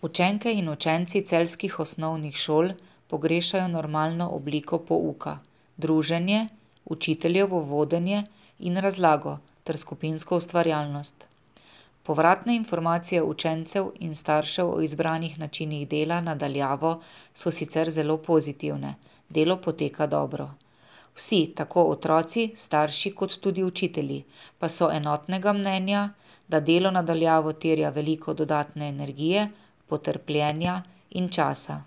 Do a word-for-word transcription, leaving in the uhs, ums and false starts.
Učenke in učenci celjskih osnovnih šol pogrešajo normalno obliko pouka, druženje, učiteljevo vodenje in razlago ter skupinsko ustvarjalnost. Povratne informacije učencev in staršev o izbranih načinih dela na daljavo so sicer zelo pozitivne, delo poteka dobro. Vsi, tako otroci, starši kot tudi učitelji, pa so enotnega mnenja, da delo na daljavo terja veliko dodatne energije, potrpljenja in časa.